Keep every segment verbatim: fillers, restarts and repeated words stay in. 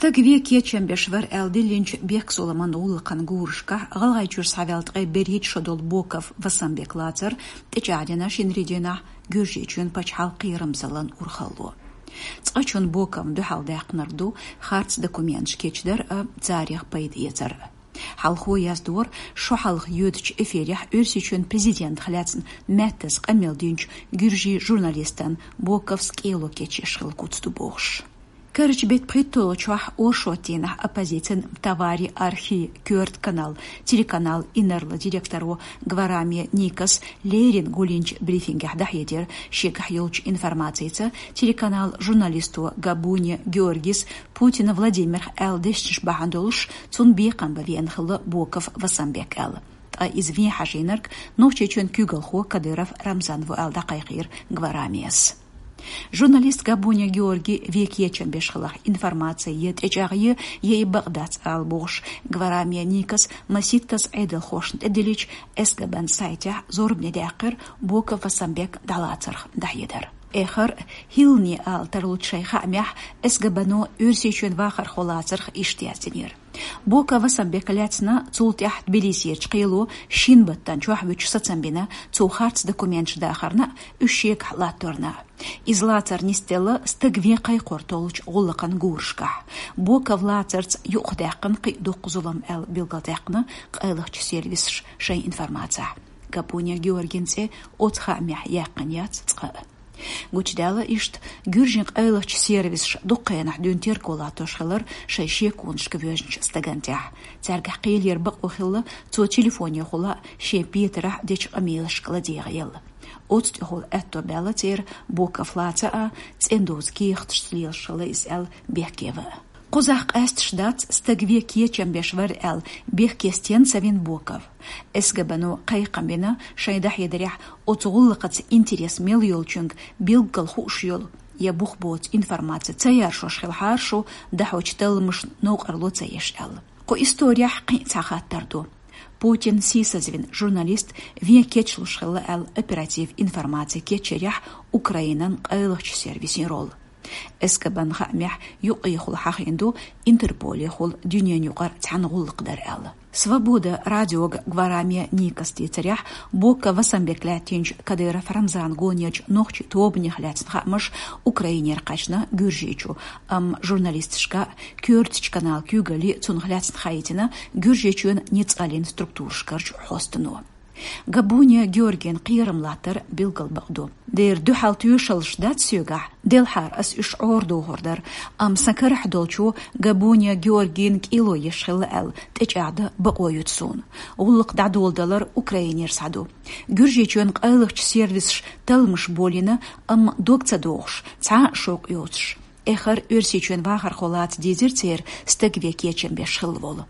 Стаг вен кечам беш вар аьлла диллинчу бехк-зуламан гӀуллакхан гурашкахь ГӀалгӀайчуьра схьаваьлла ткъе берхӀитта шо долу Боков Васанбек лацар тӀечӀагӀдина шинарин дийнахь Гуьржийчоьнан пачхьалкхан кхерамзаллин урхалло. Цкъачунна Боковна дуьхьал даьккхинарг ду харц документаш кечдар а, царах пайда эцар а. Хьалхо яздора, шо хьалха йоьдучу эфирехь Оьрсийчоьнан президентах лаьцна маьттаза къамел динчу гуьржийн журналистан Боковс кӀело кечъеш хилла куц ду бохуш. Карарчу беттан пхийтталгӀачохь оршотдийнахь оппозицин «В товаре архи» коьрта канал, телеканал инарла директоро Гварами Никас леррина гулйинчу брифингехь дӀахьедира, шегахь йолчу информацица телеканал журналисто Габуни Георгис Путина Владимирах аьлла дешнаш бахьана долуш, цунна бекхам бан веана хилла Боков Васанбек аьлла. Ткъа иза вен хьажийнарг Нохчийчоьнан куьйгалхо Кадыров Рамзан ву аьлла дӀакхайкхийра Гварамис. Журналист Габуни Георгий вен кечам беш хиларх информаци я тӀечӀагӀъе, я и бакъ дац ала бохуш, Гварами Никас масийттаза Ӏедалхошна тӀедиллича, СГБ-н сайтехь зорбане даьккхира Боков Васанбек дӀалацарх дӀахьедар. Эххар, хӀиллане ала тарлучу шайн хаамехь, СГБ-но Оьрсийчоьнан вахархо лацарх иштта яздинера. Боков Васанбека лаьцна цул тӀаьхьа Тбилисерчу кхело шина баттана чохь вуьтуш сацам бина, цо харц документаш дахарна а, уьш шегахь латторна а. Иза лацар нисделла стаг вен кхайкхор толлучу гӀуллакхан гурашкахь. Боков лацарца юкъадаьккхина кхин а дуккха зулам аьлла билгалдаьккхина къайлахчу сервисаша шайн информацехь. Габуни Георгин цӀе оцу хаамехь яьккхина яц цкъа а. Гучудаьлла иштта, гуьржийн къайлахчу сервисаша дуккха хенахь дуьйна терго латтош хилар шайн шеконашка воьжначу стагана тӀехь. Цаьргахь кхелера бакъо хилла, цо телефонехула а, шен петарехь дечу къамелашка ладегӀаелла. Оцу тӀехула аьтто баьлла церан Боков лаца а, цӀена доза кехаташца лелаш хилла иза аьлла бехке ван а. Кхузахь къаьсташ дац стаг вен кечам беш вар аьлла бехке стенна ца вина Боков. СГБ-но кхайкхам бина шайн дӀахьедарехь, оцу гӀуллакхаца интерес мел йолчуьнга билггал хууш йолу я бух боцу информаци ца яржош хилахьара шу, дӀахьочу талламашна новкъарло ца еш аьлла. Кху исторехь кхин а цхьа хаттар ду. Путинна сийсазвина журналист вен кечлуш хилла аьлла оператив информаци кечъярехь Украинан къайлахчу сервисийн роль. СГБ-н хаамехь юкъехула хьахийна ду Интерполехула дуьненаюкъара цхьаьна гӀуллакх дар аьлла. Свобода радиога Гварами Никас дийцарехь, Боков Васанбек лаьттинчу Кадыров Рамзан гонерчу нохчийн тобанех лаьцна хаамаш Украинера кхаьчна Гуьржийчу, амма журналисташка а, коьртачу каналан куьйгалле а цунах лаьцна хаийтина Гуьржийчоьнан ницкъаллин структурашкарчу хьостано. Габуни Георгин кхерам латтар билггал бакъ ду. Дера дуьхьал тоьшаллаш дац соьгахь, делхьара ас уьш Ӏорадохур дара, амма сан карахь долчо Габуни Георгина кӀело еш хилла аьлла тӀечӀагӀдан бакъо юьту суна. ГӀуллакх дӀадоладалар Украинера схьаду. Гуьржийчоьнан къайлахчу сервисаша талламаш болийна, амма дог ца дохуш, цхьа а шовкъ йоцуш. Эххар Оьрсийчоьнан вахархо лаца дийзира церан стаг вен кечам беш хилла волу.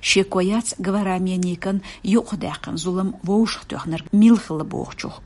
Шеко яц Гварами Никан юкъадаьккхина зулам вовшахтоьхнарг мила хилла бохучух.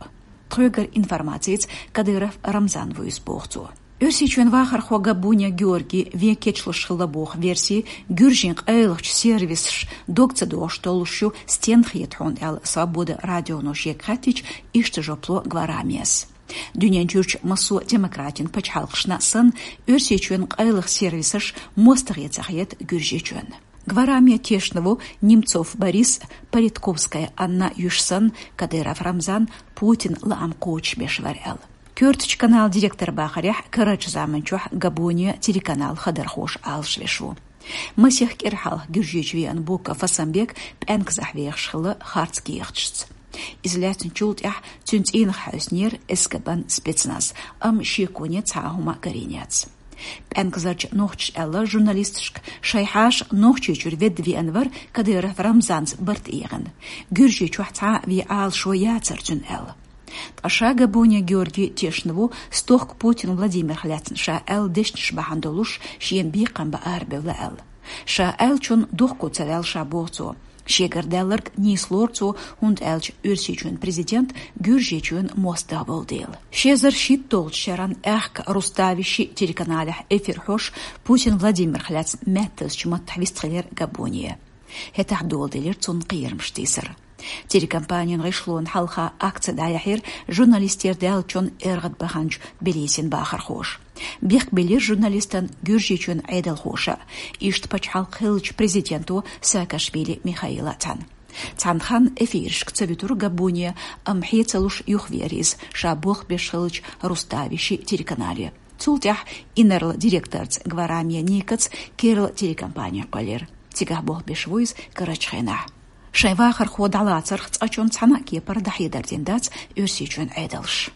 Тхоьгара информацица Кадыров Рамзан ву иза боху цо. Оьрсийчоьнан вахархо Габуни Георгий вен кечлуш хилла боху верси гуьржийн къайлахчу сервисаша дог ца дохуш толлуш ю, стенна хета хьуна аьлла Свобода радионо шега хаьттича, иштта жоп ло Гварамис. Дуьнен чуьрчу массо а демократийн пачхьалкхашна а санна, Оьрсийчоьнан къайлаха сервисаш мостагӀе ца хета Гуьржийчоьнна. Гварами тешна ву Немцов Борис, Политковская Анна юьш санна, Кадыров Рамзан Путинан лаам кхочушбеш вара аьлла. Коьртачу каналан директор бахарехь, карарчу заманчохь Габуни телеканалан хадархоша Ӏалашвеш ву. Масех кӀира хьалха Гуьржийчу веана Боков Васанбек пӀаьнказахь вехаш хилла харц кехаташца. Иза лаьцначул тӀаьхьа цуьнан цӀийнах хьаьвсинера СГБ-н спецназ, амма шеконе цхьа а хӀума а карийна яц. ПӀаьнказарчу нохчаша аьлла журналисташка, шайн хьаша Нохчийчуьра ведда веана вара Кадыров Рамзанца барт эгӀина. Гуьржийчохь цхьа а вен Ӏалашо яцара цуьнан аьлла. Ткъа ша Габуни Георгий тешна ву стохка Путин Владимирах лаьцна ша аьлла дешнаш бахьана долуш шена бекхам бан арабевлла аьлла. Ша аьллачунна дохко ца ваьлла ша боху цо. Шегара даьлларг нийса лору цо, хӀунда аьлча Оьрсийчоьнан президент Гуьржийчоьнан мостагӀа волу дела. Ши эзар шийтталгӀачу шеран аьхка Рустави шиъ телеканалехь эфир хьош Путин Владимирах лаьцна маьттазчу маттахь вистхилира Габуни. ХӀетахь доладелира цунна кхерамаш тийсар. Телекомпанин гӀишлон хьалха акци дӀаяхьира журналистера даьллачун эргӀад баханчу Тбилисин бахархоша. Бехк биллира журналистан Гуьржийчоьнан Ӏедалхоша, иштта пачхьалкх хиллачу президенто Саакашвили Михаила цхьаьна. Цхьана ханна эфирашка ца вуьтура Габбуни, амма хье ца луш юхавеара иза, ша болх беш хиллачу Руставиши телеканале. Цул тӀаьхьа инарла директорца Гварами Никаца керла телекомпани кхоьллира. Цигахь болх беш ву иза карарчу хенахь. Шайн вахархо дӀалацарх цкъачунна цхьана а кепара дӀахьедар дина дац Оьрсийчоьнан Ӏедалша.